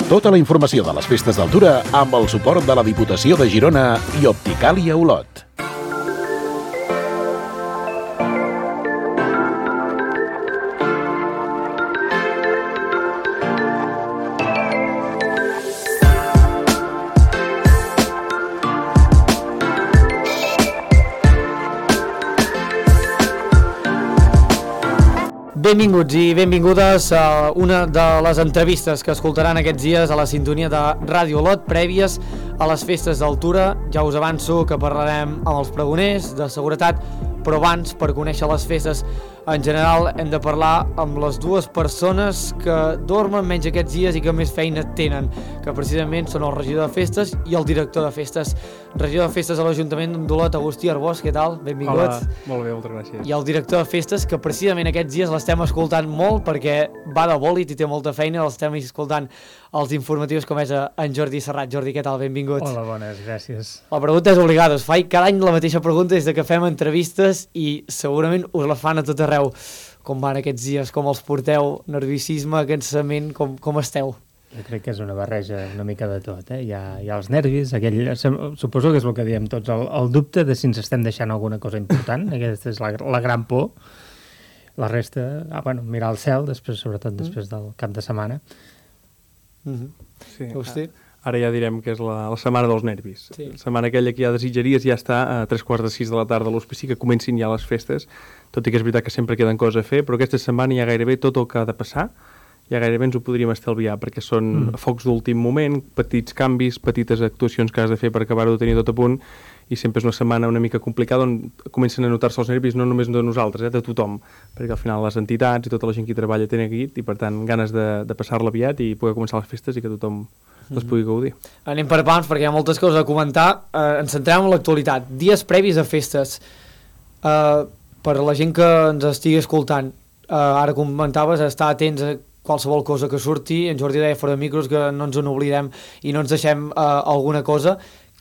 Tota la informació de les festes d'Altura amb el suport de la Diputació de Girona i Opticàlia Olot. Benvinguts i benvingudes a una de les entrevistes que escoltaran aquests dies a la sintonia de Ràdio Olot prèvies a les festes d'Altura. Ja us avanço que parlarem amb els pregoners de seguretat, però abans, per conèixer les festes en general, hem de parlar amb les dues persones que dormen menys aquests dies i que més feina tenen, que precisament són el regidor de festes i el director de festes. Regidor de festes a l'Ajuntament d'Olot, Agustí Arbós, què tal? Benvingut. Hola, molt bé, moltes gràcies. I el director de festes, que precisament aquests dies l'estem escoltant molt perquè va de bòlit i té molta feina, l'estem escoltant els informatius com és en Jordi Serrat. Jordi, què tal? Benvingut. Hola, bones, gràcies. La pregunta és obligada, us faig cada any la mateixa pregunta des que fem entrevistes i segurament us la fan a tot arreu. Com van aquests dies? Com els porteu? Nerviosisme, cansament? Com esteu? Jo crec que és una barreja una mica de tot, eh? Hi ha els nervis, suposo que és el que diem tots, el dubte de si ens estem deixant alguna cosa important, aquesta és la gran por. La resta, mirar al cel, sobretot després del cap de setmana. Sí. Hosti. Ara ja direm que és la setmana dels nervis. Sí. La setmana aquella que ja desitjaries ja està a 3:45 de la tarda a l'hospici, que comencin ja les festes, tot i que és veritat que sempre queden coses a fer, però aquesta setmana ja gairebé tot el que ha de passar, ja gairebé ens ho podríem estalviar, perquè són focs d'últim moment, petits canvis, petites actuacions que has de fer per acabar-ho de tenir tot a punt, i sempre és una setmana una mica complicada on comencen a notar-se els nervis no només de nosaltres, de tothom, perquè al final les entitats i tota la gent que hi treballa tenen aquí i per tant ganes de passar-la aviat i poder començar les festes i que tothom les pugui gaudir. Anem per pams perquè hi ha moltes coses a comentar. Ens centrem en l'actualitat. Dies previs a festes. Per la gent que ens estigui escoltant, ara comentaves estar atents a qualsevol cosa que surti. En Jordi deia fora de micros que no ens en oblidem i no ens deixem alguna cosa.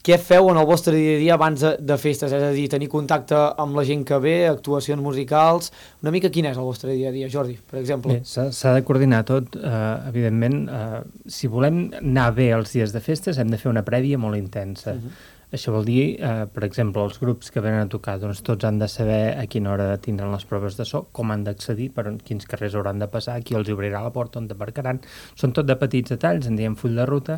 Què feu en el vostre dia a dia abans de festes? És a dir, tenir contacte amb la gent que ve, actuacions musicals... Una mica quin és el vostre dia a dia, Jordi, per exemple? Bé, s'ha de coordinar tot, evidentment. Si volem anar bé els dies de festes, hem de fer una prèvia molt intensa. Això vol dir, per exemple, els grups que venen a tocar, doncs tots han de saber a quina hora tindran les proves de so, com han d'accedir, per quins carrers hauran de passar, qui els obrirà la porta, on aparcaran. Són tot de petits detalls, en diem full de ruta,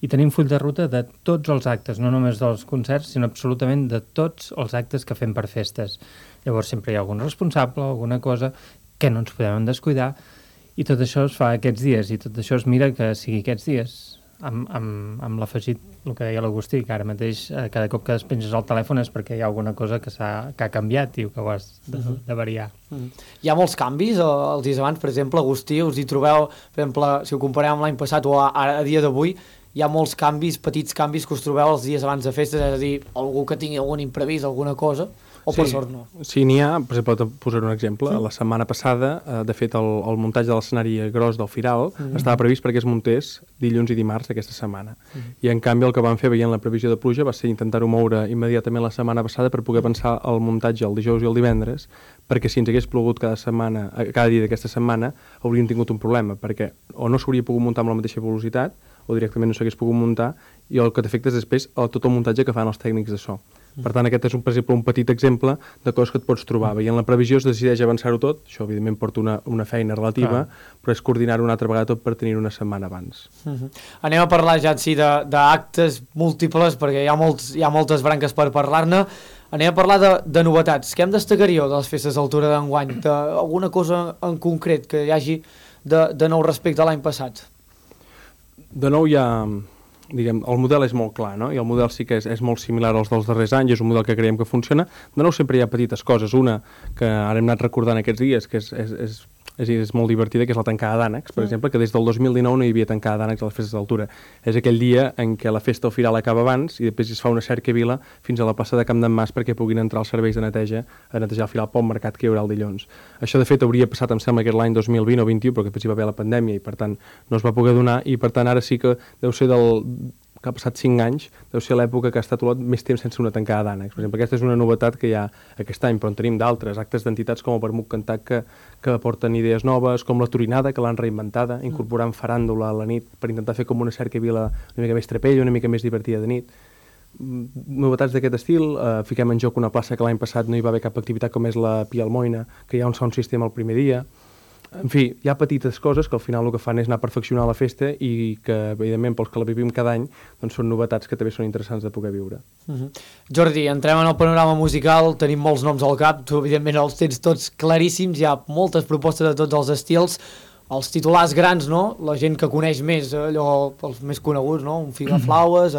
i tenim full de ruta de tots els actes, no només dels concerts, sinó absolutament de tots els actes que fem per festes. Llavors sempre hi ha algun responsable, alguna cosa que no ens podem descuidar, i tot això es fa aquests dies, i tot això es mira que sigui aquests dies, amb l'afegit, el que deia l'Agustí, que ara mateix cada cop que despenges el telèfon és perquè hi ha alguna cosa que ha canviat i que ho has de variar. Hi ha molts canvis els dies abans, per exemple, Agustí, us hi trobeu, per exemple, si ho comparem amb l'any passat o a dia d'avui, hi ha molts canvis, petits canvis que us trobeu els dies abans de festes, és a dir, algú que tingui algun imprevist, alguna cosa, o per sort no? Sí, n'hi ha, per exemple, posaré un exemple. La setmana passada, de fet, el muntatge de l'escenari gros del Firal estava previst perquè es muntés dilluns i dimarts d'aquesta setmana. I en canvi el que vam fer veient la previsió de pluja va ser intentar-ho moure immediatament la setmana passada per poder pensar el muntatge el dijous i el divendres, perquè si ens hagués plogut cada dia d'aquesta setmana hauríem tingut un problema, perquè o no s'hauria pogut muntar amb la mateixa velocitat o directament no s'hagués pogut muntar, i el que t'afecta és després tot el muntatge que fan els tècnics de so. Per tant, aquest és, per exemple, un petit exemple de coses que et pots trobar. Veient la previsió es decideix avançar-ho tot, això evidentment porta una feina relativa, però és coordinar-ho una altra vegada tot per tenir una setmana abans. Anem a parlar ja d'actes múltiples, perquè hi ha moltes branques per parlar-ne. Anem a parlar de novetats. Què em destacaríeu de les festes d'Altura d'enguany? Alguna cosa en concret que hi hagi de nou respecte a l'any passat? De nou hi ha... Diguem, el model és molt clar, no? I el model sí que és molt similar als dels darrers anys, és un model que creiem que funciona. De nou sempre hi ha petites coses, una que ara hem anat recordant aquests dies, que és molt divertida, que és la tancada d'ànecs, per exemple, que des del 2019 no hi havia tancada d'ànecs a les festes d'Altura. És aquell dia en què la festa al Firal acaba abans i després es fa una cercavila fins a la plaça de Camp d'en Mas perquè puguin entrar els serveis de neteja a netejar el Firal pel mercat que hi haurà el dilluns. Això, de fet, hauria passat, em sembla, que l'any 2020 o 2021, però que després hi va haver la pandèmia i, per tant, no es va poder donar, i, per tant, ara sí que deu ser que ha passat 5 anys, deu ser l'època que ha estat Olot més temps sense una tancada d'ànecs. Per exemple, aquesta és una novetat que hi ha aquest any, però en tenim d'altres, actes d'entitats com el Vermut Cantat que aporten idees noves, com la Turinada, que l'han reinventada, incorporant faràndula a la nit per intentar fer com una cercavila una mica més trapella, una mica més divertida de nit. Novetats d'aquest estil, fiquem en joc una plaça que l'any passat no hi va haver cap activitat com és la Pia Almoina, que hi ha un sound system el primer dia. En fi, hi ha petites coses que al final el que fan és anar a perfeccionar la festa i que, evidentment, pels que la vivim cada any, doncs són novetats que també són interessants de poder viure. Jordi, entrem en el panorama musical, tenim molts noms al cap, tu evidentment els tens tots claríssims, hi ha moltes propostes de tots els estils, els titulars grans, no? La gent que coneix més, allò, els més coneguts, no? Un Figaflaues,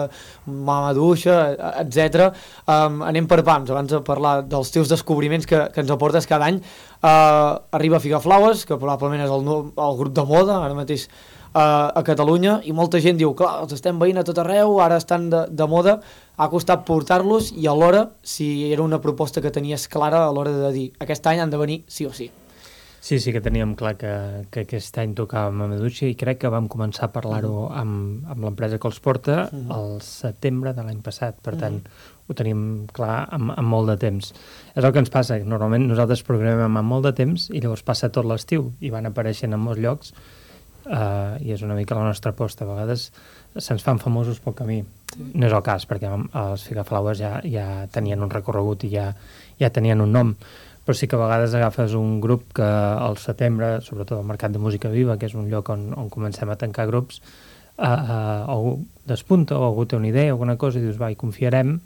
Mamaduixa, etc. Anem per pams, abans de parlar dels teus descobriments que ens aportes cada any. Arriba Figaflaues, que probablement és el grup de moda, ara mateix a Catalunya, i molta gent diu, clar, els estem veient a tot arreu, ara estan de moda, ha costat portar-los, i alhora, si era una proposta que tenies clara a l'hora de dir, aquest any han de venir sí o sí. Sí, sí que teníem clar que aquest any tocàvem a Maduixa i crec que vam començar a parlar-ho amb l'empresa que els porta al setembre de l'any passat, per tant ho tenim clar amb molt de temps. És el que ens passa, normalment nosaltres programem amb molt de temps i llavors passa tot l'estiu i van apareixent en molts llocs i és una mica la nostra aposta. A vegades se'ns fan famosos pel camí. No és el cas, perquè els Figaflaues ja tenien un recorregut i ja tenien un nom, però sí que a vegades agafes un grup que al setembre, sobretot al Mercat de Música Viva, que és un lloc on comencem a tancar grups, algú despunta o algú té una idea o alguna cosa i dius, va, hi confiarem,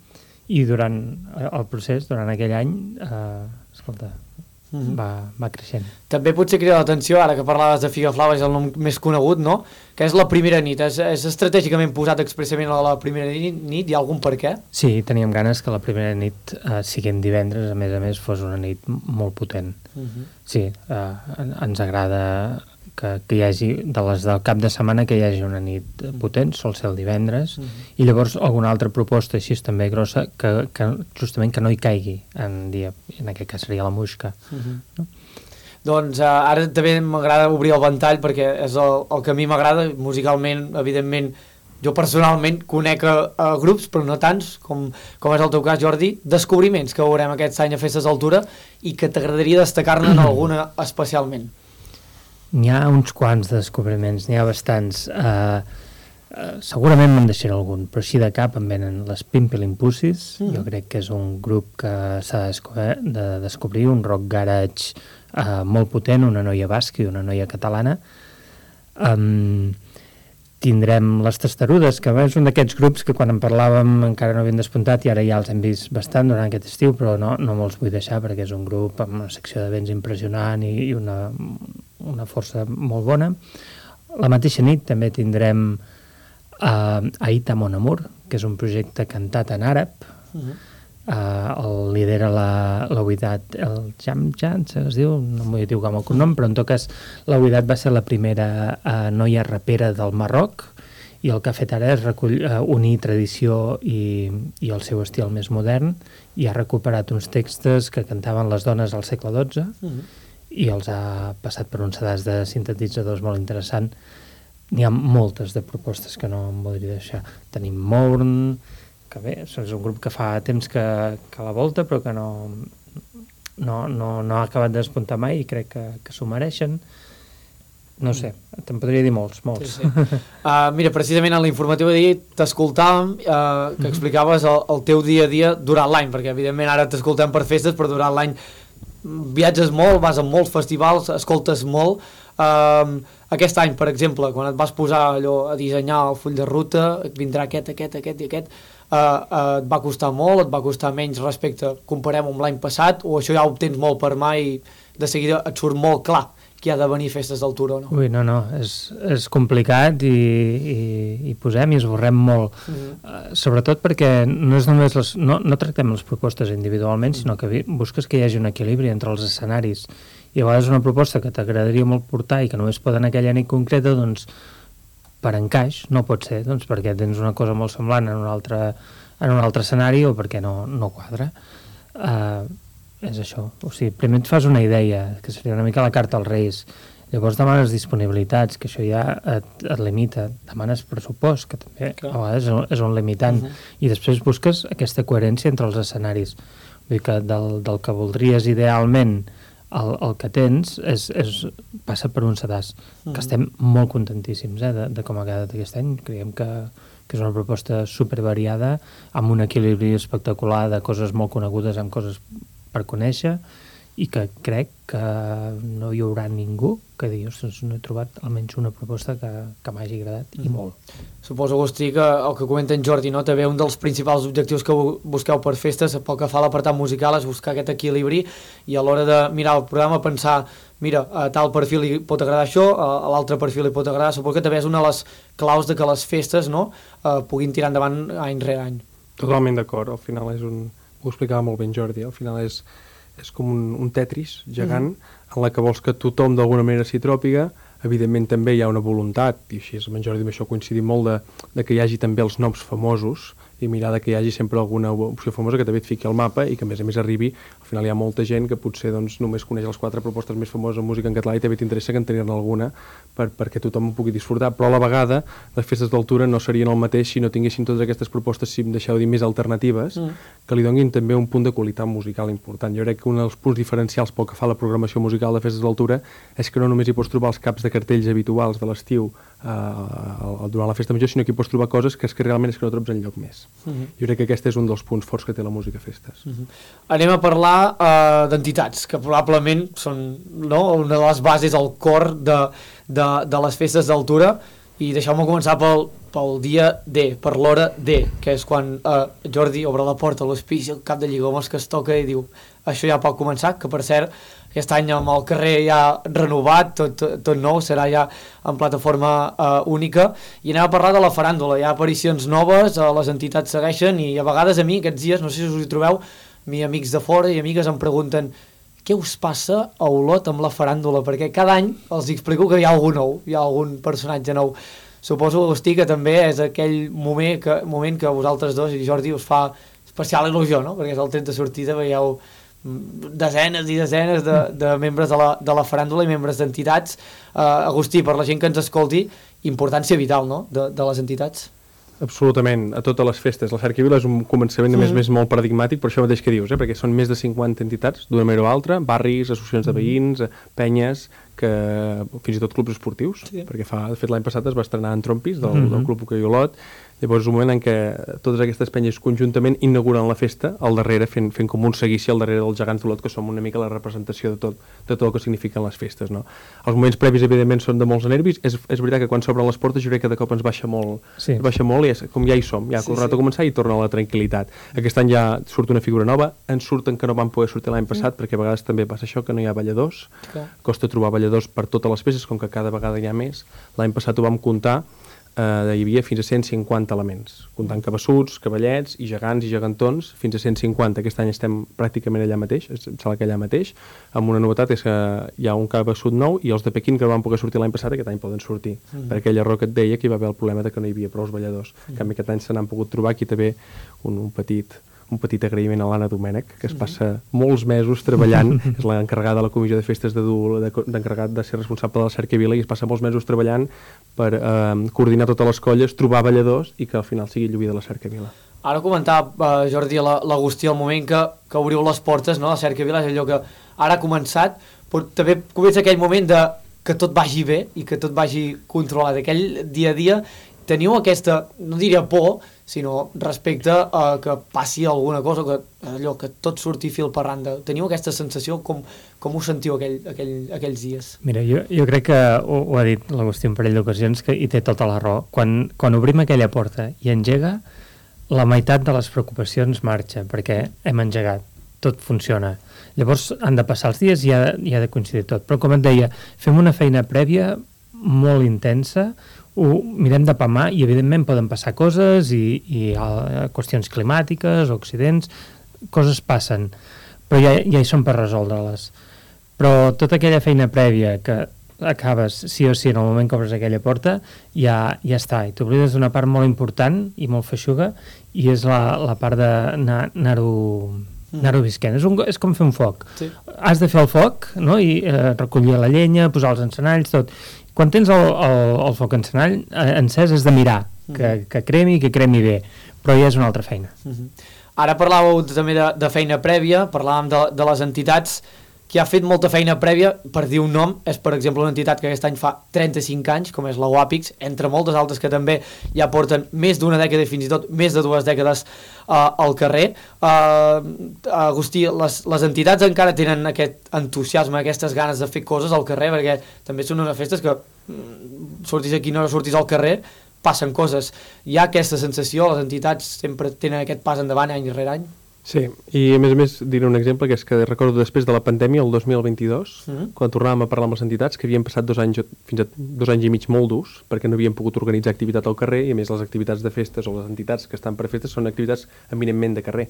i durant el procés, durant aquell any, escolta, va creixent. També potser crida l'atenció, ara que parlaves de Figaflaues, el nom més conegut, no? Que és la primera nit. És estratègicament posat expressament a la primera nit? Hi ha algun per què? Sí, teníem ganes que la primera nit, siguent divendres, a més, fos una nit molt potent. Sí, ens agrada que hi hagi, de les del cap de setmana, que hi hagi una nit potent, sol ser el divendres, i llavors alguna altra proposta així també grossa, que justament que no hi caigui en dia, en aquest cas seria la Muixca. No? Doncs ara també m'agrada obrir el ventall, perquè és el que a mi m'agrada, musicalment, evidentment, jo personalment conec a grups, però no tants, com és el teu cas, Jordi, descobriments que veurem aquest any a Festes d'Altura i que t'agradaria destacar-ne en alguna especialment. N'hi ha uns quants descobriments, n'hi ha bastants. Segurament me'n deixaré algun, però així de cap em venen les Pimpelin Pussies. Jo crec que és un grup que s'ha de descobrir, un rock garage molt potent, una noia basca i una noia catalana. Tindrem les Testarudes, que és un d'aquests grups que quan en parlàvem encara no havien despuntat i ara ja els hem vist bastant durant aquest estiu, però no me'ls vull deixar perquè és un grup amb una secció de vents impressionant i una força molt bona. La mateixa nit també tindrem Aïta Mon Amour, que és un projecte cantat en àrab. El lidera la Ouidat El Jamjan, es diu, no m'ho diu com el cognom, però en tot cas la Ouidat va ser la primera noia rapera del Marroc i el que ha fet ara és unir tradició i el seu estil més modern i ha recuperat uns textos que cantaven les dones al segle XII i els ha passat per uns sedars de sintetitzadors molt interessant. N'hi ha moltes de propostes que no em voldria deixar. Tenim Mourn, que bé, és un grup que fa temps que la volta, però que no ha acabat de despuntar mai i crec que s'ho mereixen. No sé, te'n podria dir molts. Sí. Mira, precisament en l'informatiu d'ahir t'escoltàvem que explicaves el teu dia a dia durant l'any, perquè evidentment ara t'escoltem per festes, però durant l'any viatges molt, vas a molts festivals, escoltes molt. Aquest any, per exemple, quan et vas posar allò a dissenyar el full de ruta, vindrà aquest i aquest, et va costar molt, et va costar menys respecte, comparem amb l'any passat, o això ja ho tens molt per mà i de seguida et surt molt clar que ha de venir Festes d'Altura o no? Ui, no, és complicat i posem i esborrem molt. Sobretot perquè no és només no tractem les propostes individualment, sinó que busques que hi hagi un equilibri entre els escenaris. I a vegades una proposta que t'agradaria molt portar i que només pot en aquella nit concreta, doncs per encaix no pot ser, doncs perquè tens una cosa molt semblant en un altre escenari o perquè no quadra. És això, o sigui, primer et fas una idea, que seria una mica la carta als Reis, Llavors demanes disponibilitats, que això ja et limita. Demanes pressupost, que també a vegades és un limitant. I després busques aquesta coherència entre els escenaris. Vull dir que del que voldries idealment el que tens passa per un sedàs, que estem molt contentíssims de com ha quedat aquest any. Creiem que és una proposta supervariada, amb un equilibri espectacular de coses molt conegudes amb coses per conèixer, i que crec que no hi haurà ningú que digui, ostres, no he trobat almenys una proposta que m'hagi agradat, i molt. Suposo, Agustí, que el que comenta en Jordi, no? També un dels principals objectius que busqueu per festes, pel que fa a l'apartat musical, és buscar aquest equilibri, i a l'hora de mirar el programa pensar, mira, a tal perfil li pot agradar això, a l'altre perfil li pot agradar. Suposo que també és una de les claus de que les festes, no?, puguin tirar endavant any rere any. Totalment d'acord, al final és ho explicava molt ben Jordi, al final és com un Tetris gegant en la que vols que tothom d'alguna manera s'hi tròpiga. Evidentment també hi ha una voluntat, i així amb en Jordi amb això coincidim molt, de que hi hagi també els noms famosos, i mirar que hi hagi sempre alguna opció famosa que també et fiqui al mapa i que a més arribi. Al final hi ha molta gent que potser només coneix les 4 propostes més famoses en música en català i també t'interessa que en tenir-ne alguna perquè tothom ho pugui disfrutar, però a la vegada les festes d'altura no serien el mateix si no tinguessin totes aquestes propostes, si em deixeu dir, més alternatives, que li donin també un punt de qualitat musical important. Jo crec que un dels punts diferencials pel que fa a la programació musical de festes d'altura és que no només hi pots trobar els caps de cartells habituals de l'estiu durant la festa major, sinó que hi pots trobar coses que realment és que no trobes enlloc més. Jo crec que aquest és un dels punts forts que té la música a festes. Anem a parlar d'entitats, que probablement són una de les bases, el cor de les festes d'altura, i deixeu-me començar pel dia D, per l'hora D, que és quan Jordi obre la porta a l'hospici, el cap de Lligomos que es toca i diu, això ja pot començar, que per cert aquest any amb el carrer ja renovat, tot nou, serà ja en plataforma única, i anem a parlar de la faràndula. Hi ha aparicions noves, les entitats segueixen, i a vegades a mi aquests dies, no sé si us hi trobeu, amics de fora i amigues em pregunten què us passa a Olot amb la faràndula, perquè cada any els explico que hi ha algú nou, hi ha algun personatge nou. Suposo, Agustí, que també és aquell moment que vosaltres dos i Jordi us fa especial il·lusió, no? Perquè és el tret de sortida, veieu desenes i desenes de membres de la faràndula i membres d'entitats. Agustí, per la gent que ens escolti, importància vital, no?, de les entitats. Absolutament, a totes les festes. La Cercavila és un començament a més molt paradigmàtic, per això mateix que dius, perquè són més de 50 entitats, d'una manera o altra, barris, associacions de veïns, penyes, que fins i tot clubs esportius, perquè de fet l'any passat es va estrenar en Trompis, del Club Hoquei Olot. Llavors és un moment en què totes aquestes penyes conjuntament inauguren la festa al darrere, fent com un seguici al darrere dels gegants d'Olot, que som una mica la representació de tot el que signifiquen les festes, no? Els moments previs, evidentment, són de molts nervis. És veritat que quan s'obren les portes jo crec que de cop ens baixa molt, i com ja hi som, ja ha tornat a començar i torna la tranquil·litat. Aquest any ja surt una figura nova, en surten que no van poder sortir l'any passat, perquè a vegades també passa això, que no hi ha balladors, costa trobar balladors per totes les festes, com que cada vegada hi ha més. L'any passat ho vam comptar, hi havia fins a 150 elements, comptant cabassuts, cavallets i gegants i gegantons, fins a 150. Aquest any estem pràcticament allà mateix, em sembla que allà mateix, amb una novetat és que hi ha un cabassut nou i els de Pequín que no van poder sortir l'any passat aquest any poden sortir, per aquell error que et deia que hi va haver el problema de que no hi havia prou balladors. En canvi aquest any se n'han pogut trobar. Aquí també un petit agraïment a l'Anna Domènech, que es passa molts mesos treballant, és l'encarregada de la comissió de festes d'encarregat de ser responsable de la Cercavila, i es passa molts mesos treballant per coordinar totes les colles, trobar balladors i que al final sigui lluïda la Cercavila. Ara comentava, Jordi, l'Agustí, el moment que obriu les portes, no? La Cercavila és allò que ara ha començat, però també comença aquell moment que tot vagi bé i que tot vagi controlat. Aquell dia a dia teniu aquesta, no diria por, sinó respecte a que passi alguna cosa, que tot surti fil per randa. Teniu aquesta sensació? Com ho sentiu aquells dies? Mira, jo crec que ho ha dit l'Agustí un parell d'ocasions i té tota la raó. Quan obrim aquella porta i engega, la meitat de les preocupacions marxa, perquè hem engegat, tot funciona. Llavors han de passar els dies i ha de coincidir tot. Però com et deia, fem una feina prèvia molt intensa, ho mirem de palmar i evidentment poden passar coses i qüestions climàtiques o accidents, coses passen, però ja hi són per resoldre-les. Però tota aquella feina prèvia que acabes sí o sí en el moment que obres aquella porta ja està, i t'oblides d'una part molt important i molt feixuga, i és la part d'anar-ho anar-ho visquent. És com fer un foc. Sí. Has de fer el foc, no? I recollir la llenya, posar els encenalls, tot. Quan tens el foc encenall encès has de mirar que cremi bé, però ja és una altra feina. Ara parlàveu també de feina prèvia, parlàvem de les entitats. Qui ha fet molta feina prèvia, per dir un nom, és per exemple una entitat que aquest any fa 35 anys, com és la UAPIX, entre moltes altres que també ja porten més d'una dècada i fins i tot més de 2 dècades al carrer. Agustí, les entitats encara tenen aquest entusiasme, aquestes ganes de fer coses al carrer, perquè també són unes festes que sortis aquí, no sortis al carrer, passen coses. Hi ha aquesta sensació, les entitats sempre tenen aquest pas endavant any rere any? Sí, i a més diré un exemple, que és que recordo després de la pandèmia, el 2022, quan tornàvem a parlar amb les entitats, que havien passat 2 anys, fins a 2 anys i mig molt durs, perquè no havien pogut organitzar activitat al carrer, i a més les activitats de festes o les entitats que estan per festes són activitats eminentment de carrer.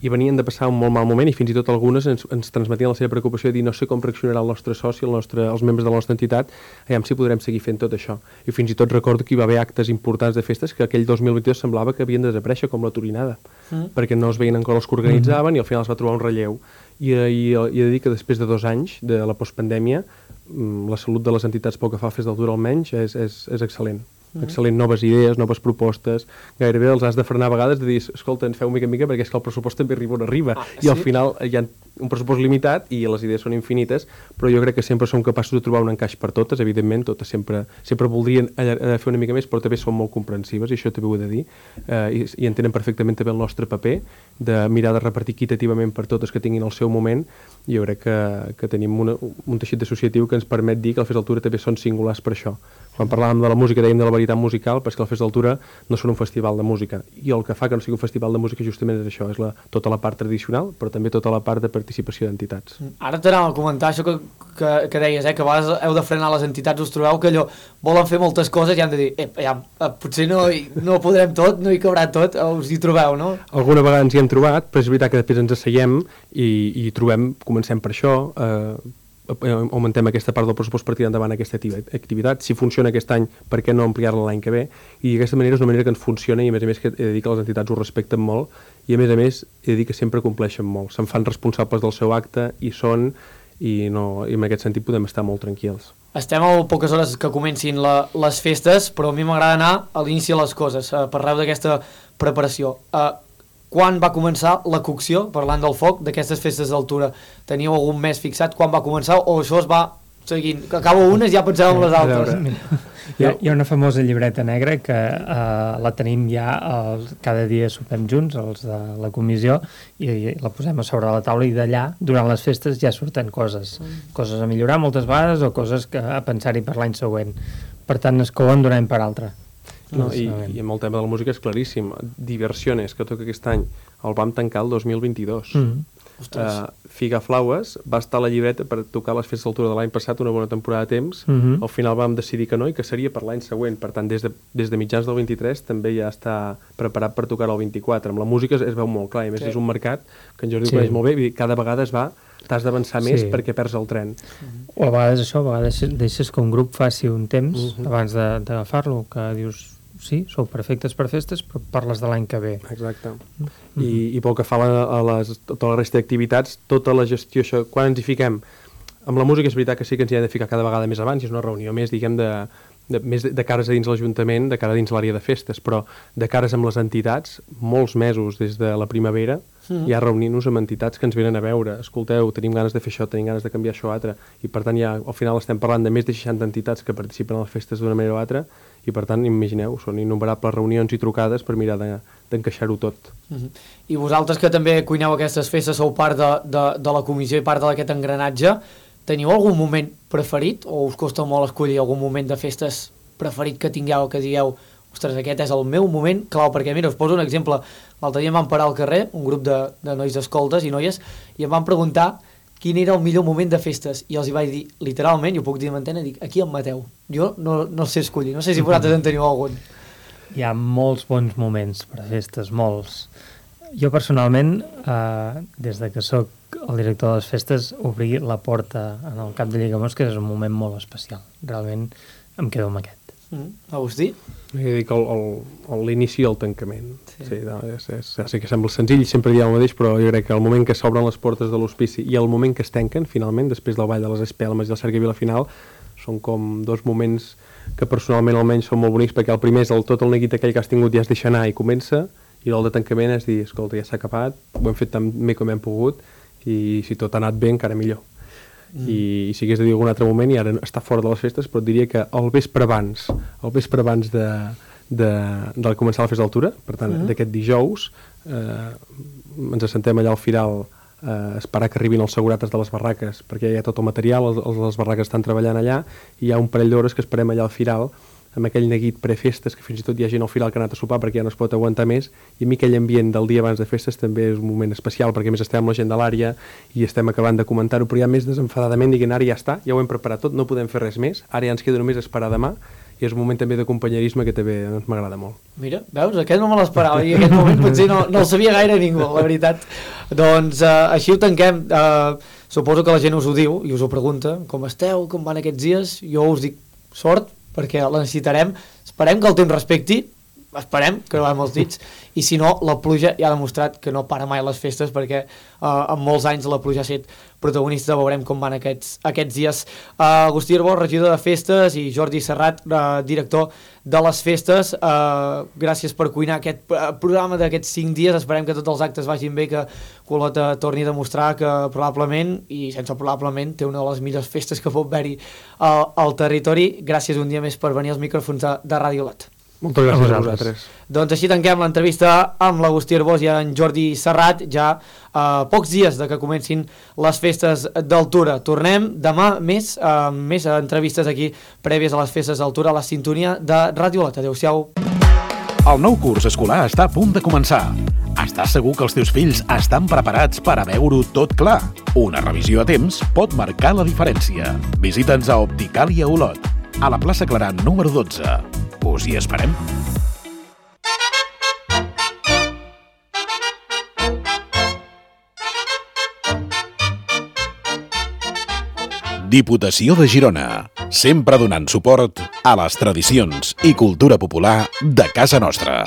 I venien de passar un molt mal moment, i fins i tot algunes ens transmetien la seva preocupació de dir no sé com reaccionarà el nostre soci, els membres de la nostra entitat, aviam si podrem seguir fent tot això. I fins i tot recordo que hi va haver actes importants de festes que aquell 2022 semblava que havien de desaparèixer, com la Turinada, perquè no es veien encara els que organitzaven i al final es va trobar un relleu. I he de dir que després de 2 anys de la postpandèmia la salut de les entitats pel que fa a Festa d'Altura almenys és excel·lent. Excel·lent, noves idees, noves propostes, gairebé els has de frenar a vegades de dir, escolta, ens feu mica en mica perquè és que el pressupost també arriba on arriba i al final hi ha un pressupost limitat i les idees són infinites, però jo crec que sempre som capaços de trobar un encaix per totes, evidentment totes sempre voldrien fer una mica més, però també són molt comprensives i això també ho he de dir, i entenen perfectament també el nostre paper de mirar de repartir equitativament per totes que tinguin el seu moment. I jo crec que tenim un teixit associatiu que ens permet dir que el Festa d'Altura també són singulars per això. Quan parlàvem de la música dèiem de la varietat musical, però és que el Festa d'Altura no són un festival de música, i el que fa que no sigui un festival de música justament és això, és tota la part tradicional, però també tota la part de participació d'entitats. Ara t'anava a comentar això que deies, que a vegades heu de frenar les entitats, us trobeu que allò volen fer moltes coses i han de dir, potser no ho podrem tot, no hi cabrà tot, us hi trobeu, no? Alguna vegada ens hi hem trobat, però és veritat que després ens asseiem i trobem, comencem per això, augmentem aquesta part del pressupost per tirar endavant aquesta activitat. Si funciona aquest any, per què no ampliar-la l'any que ve? I d'aquesta manera és una manera que ens funciona i a més que he de dir que les entitats ho respecten molt i a més he de dir que sempre compleixen molt. Se'n fan responsables del seu acte i en aquest sentit podem estar molt tranquils. Estem a poques hores que comencin les festes, però a mi m'agrada anar a l'inici de les coses. Parleu d'aquesta preparació. Quan va començar la cocció, parlant del foc, d'aquestes festes d'altura? Teníeu algun mes fixat quan va començar o això es va seguint? Que acabo unes i ja penseu en les altres. Hi ha una famosa llibreta negra que la tenim ja, cada dia sopem junts, els de la comissió, i la posem a sobre la taula i d'allà, durant les festes, ja surten coses a millorar moltes vegades o coses a pensar-hi per l'any següent. Per tant, es couen d'un any per altre. I amb el tema de la música és claríssim. Diversiones, que toca aquest any, el vam tancar el 2022. Figaflaues va estar a la llibreta per tocar les festes d'altura de l'any passat, una bona temporada de temps. Al final vam decidir que no i que seria per l'any següent. Per tant, des de mitjans del 23 també ja està preparat per tocar el 24. Amb la música es veu molt clar, i a més és un mercat que en Jordi ho coneix molt bé, cada vegada t'has d'avançar més perquè perds el tren. O a vegades deixes que un grup faci un temps abans d'agafar-lo, que dius sí, sou perfectes per festes, però parles de l'any que ve. Exacte. I pel que fa a tota la resta d'activitats, tota la gestió, això, quan ens hi fiquem? Amb la música és veritat que sí que ens hi hem de ficar cada vegada més abans, i és una reunió més, diguem, més de cares a dins l'Ajuntament, de cara a dins l'àrea de festes, però de cares amb les entitats, molts mesos des de la primavera, ja reunint-nos amb entitats que ens venen a veure. Escolteu, tenim ganes de fer això, tenim ganes de canviar això o altre, i per tant ja al final estem parlant de més de 60 entitats que participen a les festes d'una manera o altra, i per tant, imagineu, són innumerables reunions i trucades per mirar d'encaixar-ho tot. I vosaltres que també cuineu aquestes festes, sou part de la comissió i part d'aquest engranatge, teniu algun moment preferit o us costa molt escollir algun moment de festes preferit que tingueu, que digueu ostres, aquest és el meu moment clau, perquè mira, us poso un exemple. L'altre dia em van parar al carrer, un grup de nois escoltes i noies, i em van preguntar quin era el millor moment de festes, i els hi vaig dir, literalment, i ho puc dir amb antena, dic, aquí em mateu. Jo no sé escollir, no sé si vosaltres en teniu algun. Hi ha molts bons moments per a festes, molts. Jo personalment, des de que sóc el director de les festes, obrir la porta en el Cap de Lleigamós, que és un moment molt especial. Realment em quedo amb aquest. Agustí? He dit que l'inici i el tancament. Sí, no, sé que sembla senzill, sempre diem el mateix, però jo crec que el moment que s'obren les portes de l'hospici i el moment que es tanquen, finalment, després del Ball de les Espelmes i el Cercavila final, són com dos moments que personalment almenys són molt bonics, perquè el primer és tot el neguit aquell que has tingut ja es deixa anar i comença, i el de tancament és dir, escolta, ja s'ha acabat, ho hem fet tan bé com hem pogut, i si tot ha anat bé, encara millor. I si hagués de dir algun altre moment, i ara està fora de les festes, però et diria que el vespre abans de començar la festa d'altura, per tant, d'aquest dijous, ens assentem allà al Firal a esperar que arribin els segurates de les barraques, perquè hi ha tot el material, les barraques estan treballant allà, i hi ha un parell d'hores que esperem allà al Firal, amb aquell neguit prefestes, que fins i tot hi ha gent al Firal que ha anat a sopar perquè ja no es pot aguantar més, i a mi aquell ambient del dia abans de festes també és un moment especial, perquè a més estem amb la gent de l'àrea i estem acabant de comentar-ho, però ja més desenfadadament dient, ara ja està, ja ho hem preparat tot, no podem fer res més, ara ja ens queda només esperar demà, i és un moment també de companyerisme que també m'agrada molt. Mira, veus, aquest no me l'esperava, i aquest moment potser no el sabia gaire ningú, la veritat. Doncs així ho tanquem. Suposo que la gent us ho diu i us ho pregunta, com esteu, com van aquests dies? Jo us dic sort, perquè la necessitarem, esperem que el temps respecti, esperem que no va amb els dits, i si no, la pluja ja ha demostrat que no para mai les festes, perquè en molts anys la pluja ha estat protagonista, veurem com van aquests dies. Agustí Arbós, regidor de festes, i Jordi Serrat, director de les festes, gràcies per cuinar aquest programa d'aquests 5 dies, esperem que tots els actes vagin bé, que Olot torni a demostrar que probablement, i sense probablement, té una de les millors festes que pot haver-hi al territori. Gràcies un dia més per venir als micròfons de Ràdio Olot. Moltes gràcies a vosaltres. Doncs així tanquem l'entrevista amb l'Agustí Arbós i en Jordi Serrat, ja a pocs dies de que comencin les festes d'Altura. Tornem demà més entrevistes aquí prèvies a les festes d'Altura a la sintonia de Ràdio Olot. Adéu-siau. El nou curs escolar està a punt de començar. Estàs segur que els teus fills estan preparats per a veure-ho tot clar? Una revisió a temps pot marcar la diferència. Visita'ns a Opticàlia Olot, a la plaça Clarà número 12. Us hi esperem. Diputació de Girona, sempre donant suport a les tradicions i cultura popular de casa nostra.